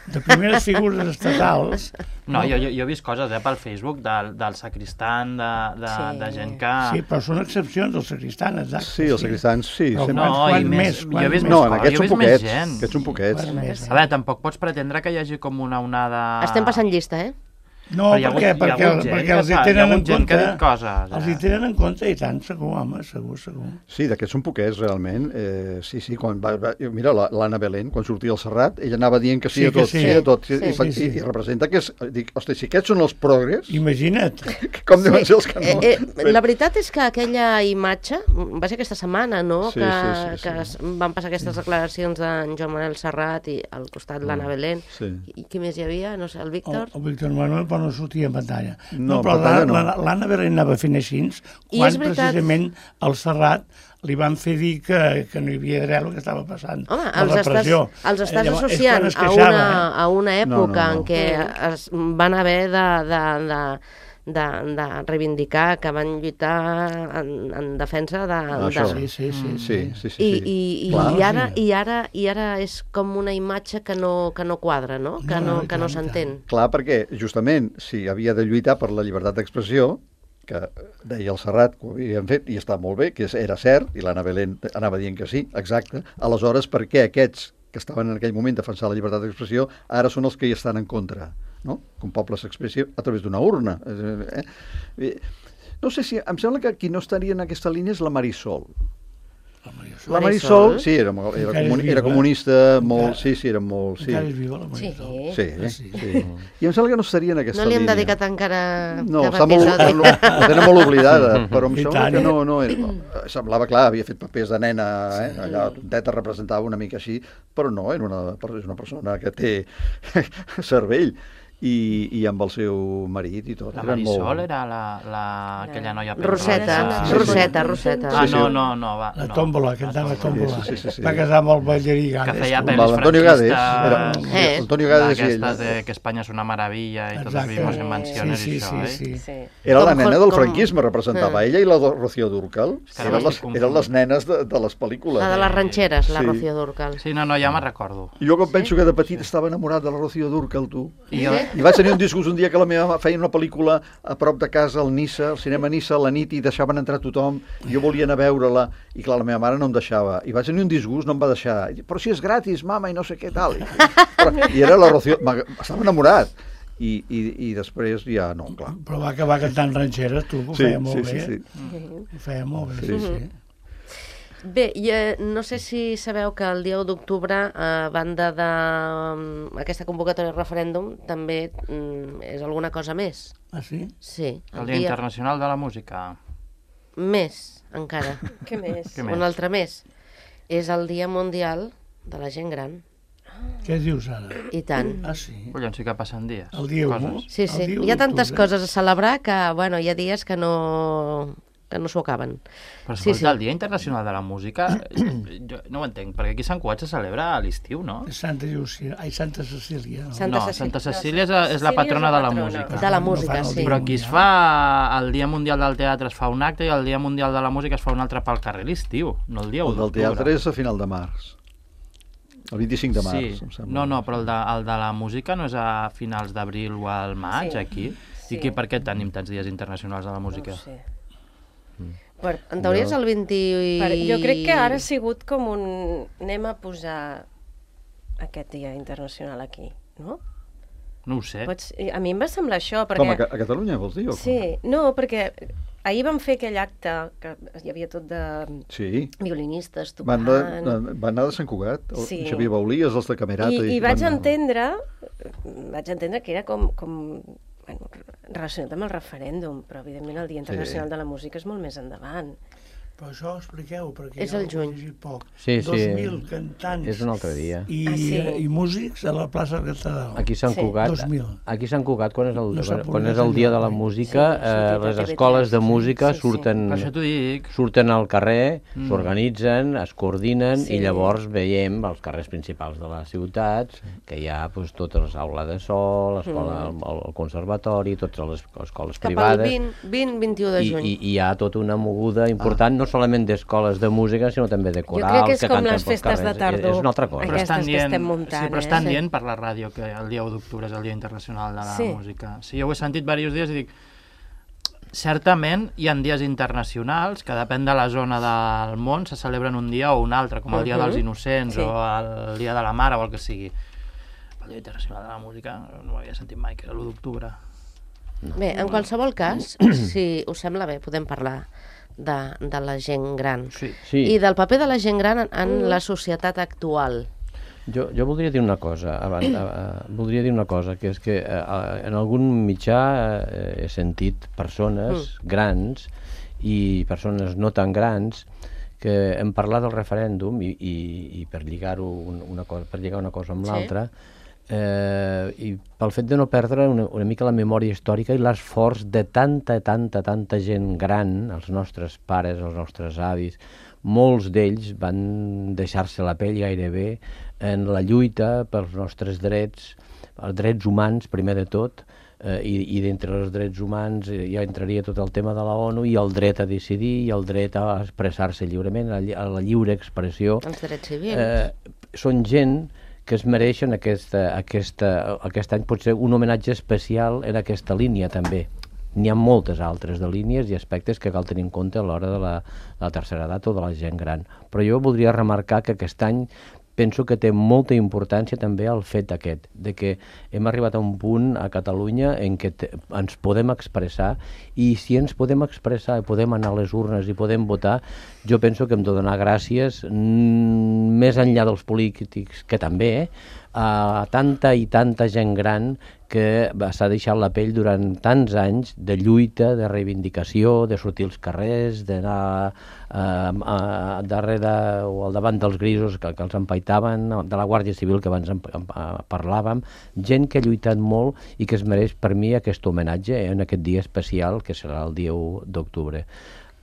De primeres figures estatals. No, jo, jo, jo he vist coses eh, pel Facebook del, del sacristan, de, de, Sí. de gent que... Sí, però són excepcions, els sacristans, exacte. Sí, els sacristans, sí. Però sempre. No, quants, quants i més, més- quants jo he vist més? No, més en coses, aquests jo he són vist més poquets. gent. Aquests són poquets. Quants més? A veure, tampoc pots pretendre que hi hagi com una onada... Estem passant llista, eh? No, Però hi ha perquè, hagut- hi ha perquè, hagut gent perquè que els hi fa- hi ha tenen en hagut gent que compte... ha dit coses, Els eh? hi tenen en compte, i tant, segur, home, segur, segur. Sí, d'aquests són poquets, realment. Eh, sí, sí, quan va, va, mira, la- l'Anna Belén, quan sortia al Serrat, ella anava dient que sí, Sí, a que tot, sí. sí, a tot, Sí, i, sí, i, sí. i representa que és... Dic, hosti, si aquests són els progres, Imagina't. com deuen ser els que no? Eh, eh, la veritat és que aquella imatge, va ser aquesta setmana, no?, Sí, que, sí, sí, sí. que es- van passar aquestes declaracions d'en Joan Manel Serrat i al costat l'Anna Belén. Sí. I qui més hi havia? No sé, el El, Víctor? el Víctor Manuel, però no sortia en pantalla. No, però en pantalla no. l'Anna l'Anna Belén anava fent així, I quan és veritat. precisament al Serrat li van fer dir que, que no hi havia d'haver el que estava passant. Home, la els estàs, repressió. els estàs Eh, llavors, és associant quan es a queixava, una, eh? a una època No, no, no. en què es van haver de, de, de, de, de reivindicar, que van lluitar en, en defensa de... Ah, de... això. Sí, sí, sí. Sí, sí, sí. I, sí. i, i, Clar, i, ara, sí. i, ara, I ara és com una imatge que no, que no quadra, no? Que No, no, no, i que no tant, i s'entén. Clar, perquè justament si havia de lluitar per la llibertat d'expressió, que deia el Serrat que ho havien fet, i està molt bé, que és- era cert, i l'Anna Belén anava dient que sí, exacte, aleshores per què aquests que estaven en aquell moment defensant la llibertat d'expressió ara són els que hi estan en contra, no? Que un poble s'expressi a través d'una urna. Eh? Eh, No sé si... Em sembla que qui no estaria en aquesta línia és la Marisol. La Marisol? Marisol, sí, era, molt- era, Encara és comuni, viva, era eh? comunista, molt, Encara- sí, sí, era molt... Sí, Encara és viva la Sí. Marisol. sí, Ah, sí. sí. I em sembla que no estaria en aquesta No li hem línia. dedicat encara No, cap està molt, episodi. la tenen molt oblidada, però em I sembla tant. que no, no és, semblava clar, havia fet papers de nena, eh? Allà tonteta representava una mica així, però no, era una, és una persona que té cervell i, i amb el seu marit i tot. La eren Marisol molt... era la, la, aquella noia... Roseta, Sí, sí. Roseta, Roseta. Ah, Sí, sí. no, no, no, va. La no. tòmbola, que cantava tòmbola. Sí, sí, sí, sí. Va casar amb el ballarí Que Gades. feia tu. pel·lis L'Antonio Gades, era, franquistes, Eh. Antonio Gades i ell. d'aquestes de que Espanya és una meravella i tots Exacte. vivimos en mansiones Sí, i sí, això, sí, eh? sí. Sí. Era la Com- nena del com- franquisme, representava ella i la de Rocío Dúrcal. que ara Eren m'estic les, confondint. eren les nenes de, de les pel·lícules. La de les ranxeres, la Sí. Rocío Dúrcal. Sí, no, no, ja me'n recordo. Jo com penso que de petit estava enamorat de la Rocío Dúrcal, tu. I jo, I vaig tenir un disgust un dia que la meva mare feia una pel·lícula a prop de casa, al Nissa, al cinema Nissa, a la nit, i deixaven entrar tothom. Jo volia anar a veure-la, i clar, la meva mare no em deixava. I vaig tenir un disgust, no em va deixar. I dic, però si és gratis, mama, i no sé què tal. I, però, i era la Rocío... m'ag- Estava enamorat. I, i, I després ja no, clar. Però va acabar cantant ranxeres, tu, que ho Sí, feia molt sí, bé. sí, sí. Ho feia molt bé, Sí. sí, sí. Bé, i, eh, no sé si sabeu que el dia u d'octubre, a banda d'aquesta convocatòria de referèndum, també mm, és alguna cosa més. Ah, sí? Sí, el Dia Internacional de la Música. Més, encara. Què més? Què més? Un altre més. És el Dia Mundial de la Gent Gran. Què dius ara? I tant. Ah, sí? Collons, sí que passen dies. El dia u. Coses. Sí, El sí. dia u Hi ha tantes d'octubre. coses a celebrar que, bueno, hi ha dies que no que no s'ho acaben. Però Sí, escolta, sí. el Dia Internacional de la Música, eh, jo no ho entenc, perquè aquí a Sant Cugat se celebra a l'estiu, no? És Santa Llúcia, ai, Santa Cecília. No? Santa No, Cecília. Santa Cecília és, és la patrona de la música. De la No música, fan el sí. dia Però aquí es fa, el Dia Mundial del Teatre es fa un acte i el Dia Mundial de la Música es fa un altre pel carrer a l'estiu, no el dia u El del d'octubre. teatre és a final de març. El vint-i-cinc de març, Sí, em sembla. no, no, però el de, el de la música no és a finals d'abril o al maig, Sí. aquí? Sí. I aquí per què tenim tants dies internacionals de la música? No ho sé. Per, en teoria és el vint... Per, jo crec que ara ha sigut com un... Anem a posar aquest dia internacional aquí, no? No ho sé. Pots... A mi em va semblar això, perquè... Com, a, Ca- a Catalunya, vols dir? O com? Sí, no, perquè ahir vam fer aquell acte, que hi havia tot de Sí. violinistes Van, tocant... de, van anar de Sant Cugat, el Sí. Xavier Baulies, els de Camerata... I, i vaig van anar- entendre, vaig entendre que era com, com bueno, relacionat amb el referèndum, però evidentment el Dia Internacional Sí. de la Música és molt més endavant. Però això expliqueu, perquè És jo el ho he juny. llegit poc. Sí, sí. dos mil cantants És un altre dia. i, Ah, sí? i músics a la plaça Catedral. Aquí a Sant Sí. Cugat, dos mil. aquí a Sant Cugat, quan és el, No s'ha quan és publicat el dia de la enlloc, eh? música, Sí, eh, sortit a les T V tres, escoles de sí, música sí, sí. surten, Per això t'ho dic. surten al carrer, Mm. s'organitzen, es coordinen Sí. i llavors veiem als carrers principals de les ciutats que hi ha doncs, totes les aules de sol, l'escola, el, el conservatori, totes les escoles Cap al privades. vint, vint, vint-i-u de I, juny. i, i hi ha tota una moguda important, no solament d'escoles de música, sinó també de Jo corals crec que és que com canten les pels festes de carrers. tardor. És una altra cosa. Però Aquestes estan que dient, estem muntant, sí, però estan eh? dient per la ràdio que el dia u d'octubre és el Dia Internacional de la Sí. Música. Sí, jo ho he sentit diversos dies i dic, certament hi ha dies internacionals que depèn de la zona del món se celebren un dia o un altre, com el Dia Mhm. dels Innocents Sí. o el Dia de la Mare o el que sigui. El Dia Internacional de la Música no ho havia sentit mai, que era l'u d'octubre. Bé, en qualsevol cas, si us sembla bé, podem parlar de, de la gent gran. Sí. Sí. I del paper de la gent gran en, en la societat actual. Jo, jo voldria dir una cosa, abans, uh, uh, voldria dir una cosa, que és que uh, en algun mitjà uh, he sentit persones grans i persones no tan grans que hem parlat del referèndum i, i, i per lligar-ho un, una cosa, per lligar una cosa amb Sí. l'altra, eh, i pel fet de no perdre una, una mica la memòria històrica i l'esforç de tanta, tanta, tanta gent gran, els nostres pares, els nostres avis, molts d'ells van deixar-se la pell gairebé en la lluita pels nostres drets, els drets humans, primer de tot, eh, i, i d'entre els drets humans eh, ja entraria tot el tema de la ONU i el dret a decidir i el dret a expressar-se lliurement, a, lli- a la lliure expressió. Els drets civils. Eh, són gent que es mereixen aquesta, aquesta, aquest any potser un homenatge especial en aquesta línia també. N'hi ha moltes altres de línies i aspectes que cal tenir en compte a l'hora de la, de la tercera edat o de la gent gran. Però jo voldria remarcar que aquest any penso que té molta importància també el fet aquest, de que hem arribat a un punt a Catalunya en què te, ens podem expressar i si ens podem expressar i podem anar a les urnes i podem votar, jo penso que hem de donar gràcies mm, més enllà dels polítics, que també, eh, a tanta i tanta gent gran que s'ha deixat la pell durant tants anys de lluita, de reivindicació, de sortir als carrers, d'anar eh, a, darrere o al davant dels grisos que, que els empaitaven, de la Guàrdia Civil que abans en, en, en parlàvem, gent que ha lluitat molt i que es mereix per mi aquest homenatge en aquest dia especial que serà el dia u d'octubre.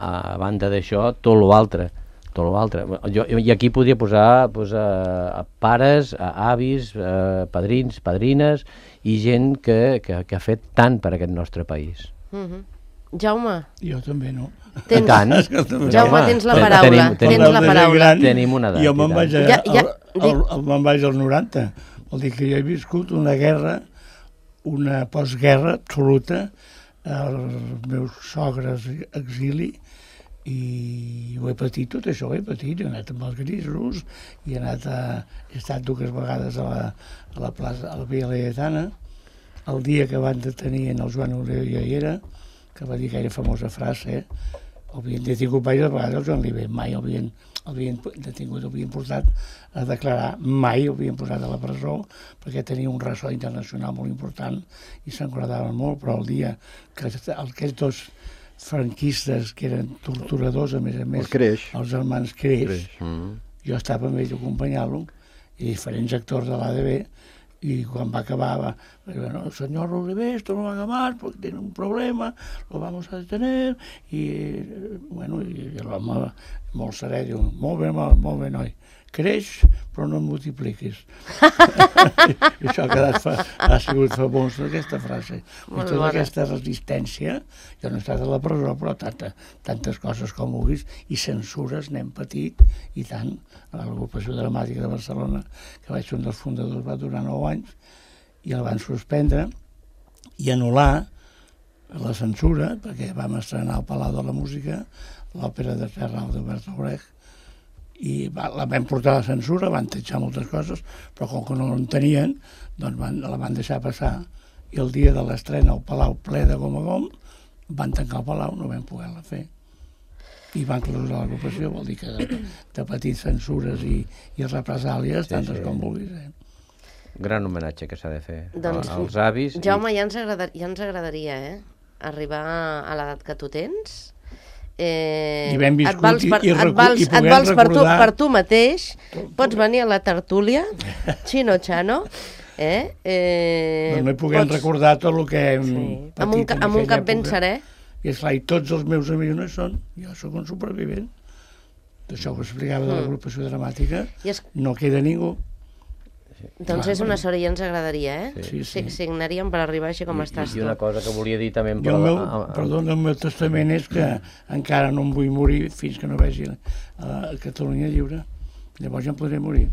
A banda d'això, tot l'altre, tot l'altre. Jo, I aquí podria posar pues, a, a pares, a avis, a padrins, padrines i gent que, que, que ha fet tant per aquest nostre país. Mhm. Jaume, Jo també no. tens, I tant. Jaume, tens la ten- paraula. tenim- tenim- Tens la paraula. Gran, Tenim una edat, Jo i me'n tant. vaig, a, Ja- ja, al, al, al, me'n vaig als noranta. Vol dir que jo he viscut una guerra, una postguerra absoluta, els meus sogres exili, i ho he patit, tot això ho he patit. He anat amb els grisos, i he, anat a, he estat dues vegades a la, a la plaça, a la Via Laietana. El dia que van detenir en el Joan Oliver ja hi era, que va dir aquella famosa frase, eh? El havien detingut diverses vegades el Joan Oliver, mai el havien, el havien detingut, el havien portat a declarar, mai el havien posat a la presó, perquè tenia un ressò internacional molt important i se'n guardaven molt, però el dia que aquells dos franquistes, que eren torturadors, a més a més, El Creix. els germans Creix, Creix. Mm. jo estava amb ells acompanyant-lo, i diferents actors de l'A D B, y cuando acababa, bueno, señor Oliver, esto no lo haga más porque tiene un problema, lo vamos a detener, i bueno, i l'home molt serè diu, molt bé, molt, molt bé, noi, creix, però no et multipliquis. I això ha, quedat fa, ha sigut famós, aquesta frase. I Molt tota bona. aquesta resistència, jo no he estat a la presó, però tanta, tantes coses com vulguis, i censures n'hem patit, i tant. A l'Agrupació Dramàtica de Barcelona, que vaig ser un dels fundadors, va durar nou anys, i el van suspendre i anul·lar la censura, perquè vam estrenar al Palau de la Música l'òpera de Serrao de Bertolt Brecht, i va, la van portar a la censura, van tatxar moltes coses, però com que no en tenien, doncs van, la van deixar passar, i el dia de l'estrena al Palau ple de gom a gom, van tancar el Palau, no vam poder-la fer. I van clausurar l'agrupació, vol dir que de, de patir censures i, i represàlies, Sí, tantes sí. com vulguis. Eh? Gran homenatge que s'ha de fer Doncs, a- als avis. Jaume, ja ens, agrada, ja ens agradaria, eh? Arribar a l'edat que tu tens. Eh, I ben et viscut vals per, i- i et recu- vals, i et puguem vals per, tu, recordar- per tu mateix, pots venir a la tertúlia, Xino Xano, eh? eh Doncs no hi puguem pots- recordar tot el que hem Sí. patit Amb un, ca- en amb un aquella cap ben època. serè. I esclar, i tots els meus amics no hi són. Jo sóc un supervivent. D'això que explicava de Mm. l'agrupació dramàtica, I és, no queda ningú. doncs és una sort i ja ens agradaria, eh? Sí, sí. Si- Signaríem per arribar així com I, estàs I una tu. cosa que volia dir també... Jo el meu, a- a- perdona, el meu testament és que encara no em vull morir fins que no vegi a Catalunya lliure. Llavors ja em podré morir.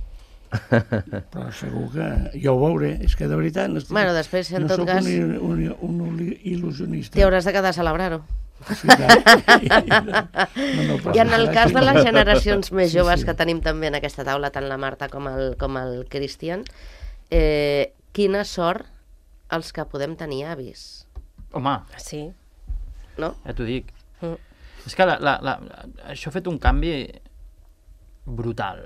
Però segur que jo ho veuré. És que de veritat no estic... Bueno, després, en no tot sóc cas, un, un, un il·lusionista. t'hi hauràs de quedar a celebrar-ho. Sí, clar. No, no, però I en el sí, cas de les sí. generacions més Sí, joves sí. que tenim també en aquesta taula, tant la Marta com el, com el Cristian, eh, quina sort els que podem tenir avis, Home, Sí. no? ja t'ho dic. Mm. És que la, la, la, això ha fet un canvi brutal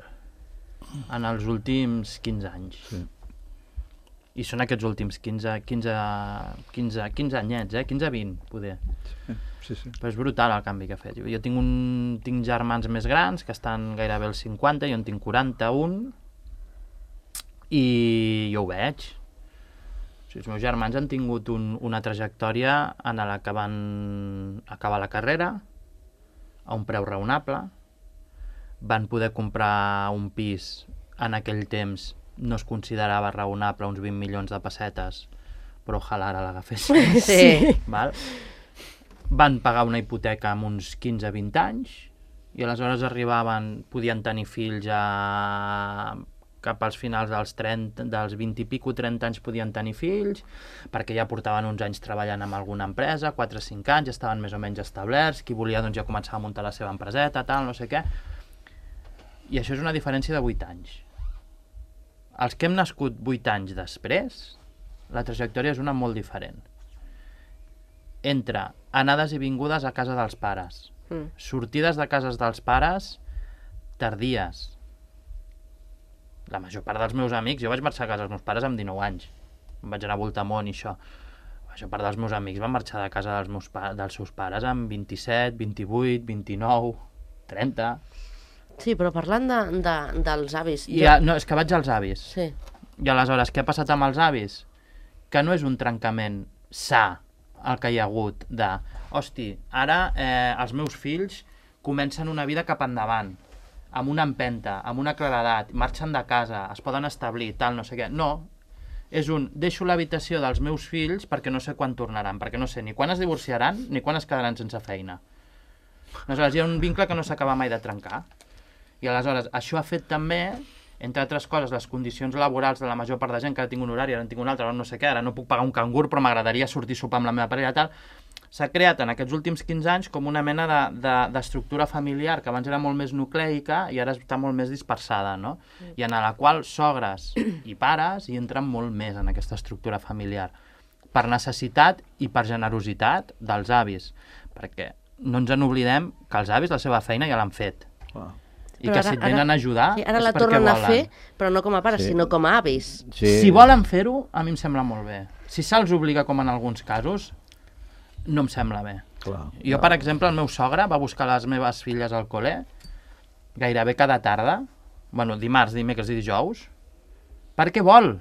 en els últims quinze anys. Sí. I són aquests últims quinze, quinze, quinze, quinze anyets, eh? quinze a vint, poder. Sí, sí. Però és brutal el canvi que ha fet. Jo, jo tinc, un, tinc germans més grans que estan gairebé als cinquanta, jo en tinc quaranta-un, i jo ho veig. O sigui, els meus germans han tingut un, una trajectòria en la que van acabar la carrera a un preu raonable, van poder comprar un pis en aquell temps, no es considerava raonable, uns vint milions de pessetes, però ojalà ara l'agafessin. Sí. Val? Van pagar una hipoteca amb uns quinze a vint anys i aleshores arribaven, podien tenir fills a... cap als finals dels trenta, dels vint i pico, trenta anys podien tenir fills, perquè ja portaven uns anys treballant en alguna empresa, quatre o cinc anys, ja estaven més o menys establerts, qui volia doncs ja començava a muntar la seva empreseta, tal, no sé què. I això és una diferència de vuit anys. Els que hem nascut vuit anys després, la trajectòria és una molt diferent. Entre anades i vingudes a casa dels pares, Mm. sortides de cases dels pares tardies. La major part dels meus amics, jo vaig marxar a casa dels meus pares amb dinou anys, em vaig anar a voltar món i això. La major part dels meus amics van marxar de casa dels, meus pa dels seus pares amb vint-i-set, vint-i-vuit, vint-i-nou, trenta... Sí, però parlant de, de, dels avis... I ja, no, és que vaig als avis. Sí. I aleshores, què ha passat amb els avis? Que no és un trencament sa el que hi ha hagut de, hosti, ara eh, els meus fills comencen una vida cap endavant, amb una empenta, amb una claredat, marxen de casa, es poden establir, tal, no sé què. No, és un, deixo l'habitació dels meus fills perquè no sé quan tornaran, perquè no sé ni quan es divorciaran ni quan es quedaran sense feina. Aleshores, hi ha un vincle que no s'acaba mai de trencar. I aleshores, això ha fet també, entre altres coses, les condicions laborals de la major part de gent, que ara tinc un horari, ara en tinc un altre, ara no sé què, ara no puc pagar un cangur, però m'agradaria sortir a sopar amb la meva parella, tal. S'ha creat en aquests últims quinze anys com una mena d'estructura de, de, familiar que abans era molt més nucleica i ara està molt més dispersada, no? I en la qual sogres i pares hi entren molt més en aquesta estructura familiar, per necessitat i per generositat dels avis, perquè no ens en oblidem que els avis la seva feina ja l'han fet. Clar. I Però que ara- si et venen ara- a ajudar Sí, ara és la perquè tornen a volen. fer, però no com a pares, Sí. sinó com a avis. Sí. Si volen fer-ho, a mi em sembla molt bé. Si se'ls obliga, com en alguns casos, no em sembla bé. Clar. Jo, per exemple, el meu sogre va buscar les meves filles al col·le gairebé cada tarda, bueno, dimarts, dimecres i dijous, perquè vol.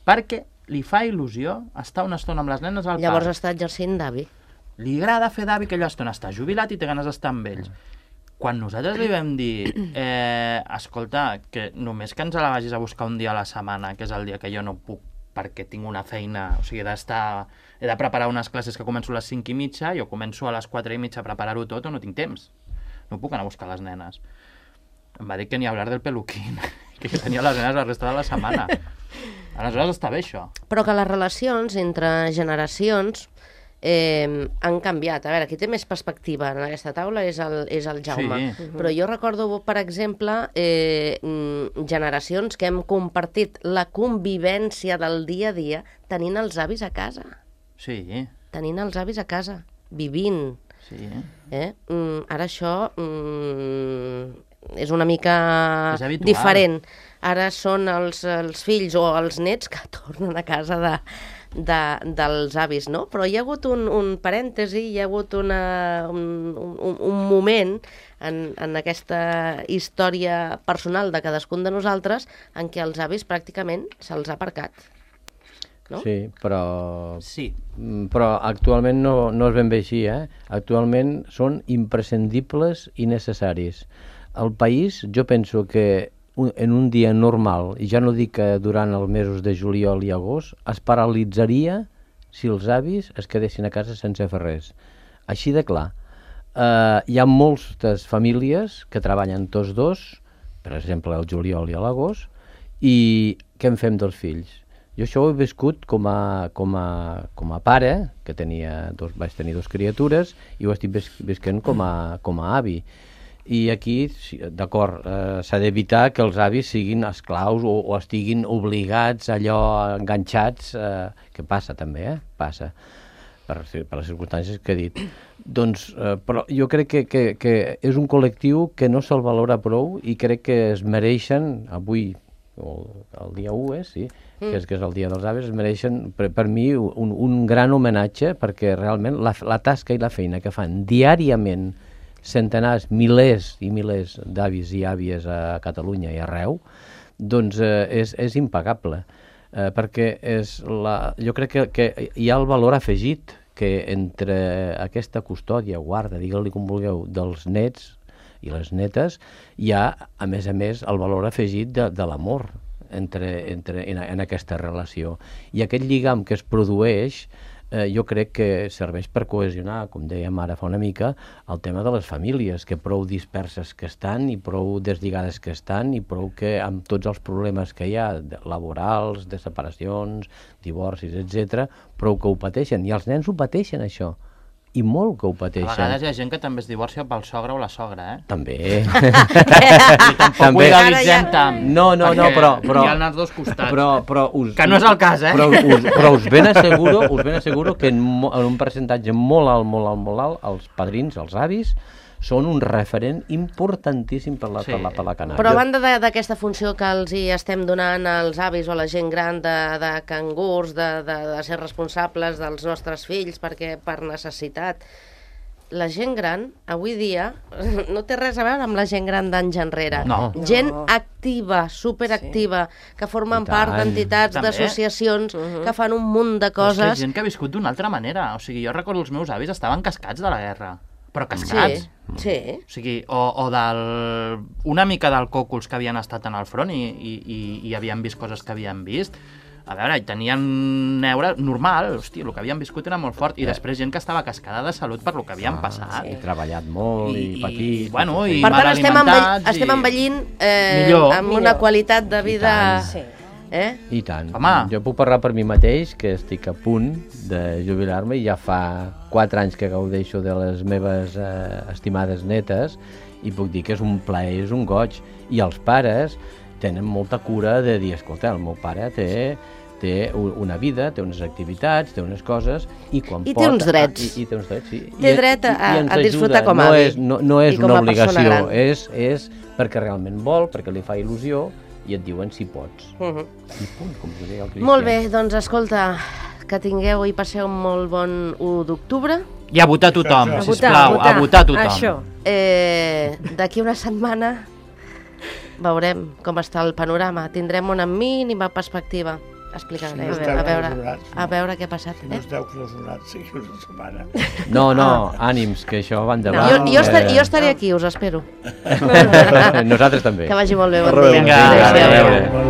Perquè li fa il·lusió estar una estona amb les nenes al Llavors parc. està exercint d'avi. Li agrada fer d'avi aquella estona, està jubilat i té ganes d'estar amb ells. Quan nosaltres li vam dir, eh, escolta, que només que ens la vagis a buscar un dia a la setmana, que és el dia que jo no puc perquè tinc una feina, o sigui, he d'estar, he de preparar unes classes que començo a les cinc i mitja, jo començo a les quatre i mitja a preparar-ho tot o no tinc temps. No puc anar a buscar les nenes. Em va dir que ni hablar del peluquín, que tenia les nenes la resta de la setmana. Aleshores està bé això. Però que les relacions entre generacions eh, han canviat. A veure, qui té més perspectiva en aquesta taula és el, és el Jaume. Sí. Però jo recordo, per exemple, eh, generacions que hem compartit la convivència del dia a dia tenint els avis a casa. Sí, Tenint els avis a casa, vivint. sí. Eh? Mm, ara això mm, és una mica És habitual. diferent. Ara són els, els fills o els nets que tornen a casa de, de, dels avis, no? Però hi ha hagut un, un parèntesi, hi ha hagut una, un, un, un moment en, en aquesta història personal de cadascun de nosaltres en què els avis pràcticament se'ls ha aparcat. No? Sí, però... Sí. Mm, Però actualment no, no és ben bé així, eh? Actualment són imprescindibles i necessaris. El país, jo penso que un, en un dia normal, i ja no dic que durant els mesos de juliol i agost, es paralitzaria si els avis es quedessin a casa sense fer res. Així de clar. Uh, hi ha moltes famílies que treballen tots dos, per exemple el juliol i l'agost, i què en fem dels fills? Jo això ho he viscut com a, com a, com a pare, que tenia dos, vaig tenir dues criatures, i ho estic vis, visquent com a, com a avi. I aquí, d'acord, eh, s'ha d'evitar que els avis siguin esclaus o, o estiguin obligats, allò, enganxats, eh, que passa també, eh? Passa, per, per les circumstàncies que he dit. Doncs, eh, però jo crec que, que, que és un col·lectiu que no se'l valora prou i crec que es mereixen, avui, o el dia u, eh, sí, que és, que és el dia dels avis, es mereixen per, per mi un, un gran homenatge, perquè realment la, la tasca i la feina que fan diàriament centenars, milers i milers d'avis i àvies a Catalunya i arreu, doncs eh, és, és impagable, eh, perquè és la, jo crec que, que hi ha el valor afegit que entre aquesta custòdia, guarda, digue-li com vulgueu, dels nets i les netes, hi ha, a més a més, el valor afegit de, de l'amor entre, entre, en, en aquesta relació. I aquest lligam que es produeix, eh, jo crec que serveix per cohesionar, com dèiem ara fa una mica, el tema de les famílies, que prou disperses que estan i prou deslligades que estan i prou que amb tots els problemes que hi ha, laborals, de separacions, divorcis, etcètera, prou que ho pateixen. I els nens ho pateixen, això. I molt que ho A pateixen. vegades hi ha gent que també es divorcia pel sogre o la sogra, eh? També. I tampoc ho També. idealitzem tant. No, no, no, perquè però... però hi ha els dos costats. Però, però us, Que no és el cas, eh? Però us, però us ben asseguro, us ben asseguro que en, mo, en un percentatge molt alt, molt alt, molt alt, els padrins, els avis, són un referent importantíssim per la, Sí. per la, per la canalla. Però a banda de- d'aquesta funció que els hi estem donant als avis o a la gent gran de, de cangurs, de, de, de ser responsables dels nostres fills perquè per necessitat, la gent gran, avui dia, no té res a veure amb la gent gran d'anys enrere. No. Gent No. activa, superactiva, que formen I tant. part d'entitats, També. d'associacions, que fan un munt de Però és que coses. és gent que ha viscut d'una altra manera. O sigui, jo recordo els meus avis estaven cascats de la guerra. Però cascats. Sí, sí. O sigui, o, o del, una mica del còculs que havien estat en el front i, i, i, i havien vist coses que havien vist. A veure, i tenien neure normal, hòstia, el que havien viscut era molt fort. I després gent que estava cascada de salut per lo que havien passat. He treballat molt i, i patit. bueno, i Per tant, mal estem, envell, alimentats estem i- envellint eh, Millor. amb una Millor. qualitat de vida... Sí. Eh? I tant. Home. Jo puc parlar per mi mateix, que estic a punt de jubilar-me i ja fa quatre anys que gaudeixo de les meves eh, estimades netes i puc dir que és un plaer, és un goig. I els pares tenen molta cura de dir, escolta, el meu pare té, té u- una vida, té unes activitats, té unes coses i quan I té pot... uns drets. Ah, i, I té uns drets, sí. Té I- dret a- i- i ens a disfrutar ajuda. com a no avi és, no, no és i com una a persona obligació, gran. és, és perquè realment vol, perquè li fa il·lusió i et diuen si pots. Uh -huh. I punt, com us deia el Cristian. Molt bé, doncs escolta, que tingueu i passeu un molt bon u d'octubre. I a votar tothom, A votar, sisplau, votar. a votar tothom. Això. Eh, D'aquí una setmana veurem com està el panorama. Tindrem una mínima perspectiva. Explicarem, Si no a, esteu veure, a, veure, clausurats, no. a veure què ha passat. No Eh? esteu clausurats, sí, una setmana. No, no, ànims, que això va Jo, endavant. jo, estaré, eh, jo estaré aquí, us espero. Nosaltres també. Que vagi molt bé, bon Rebeu. dia. Vinga, Adéu-siau. adéu. Molt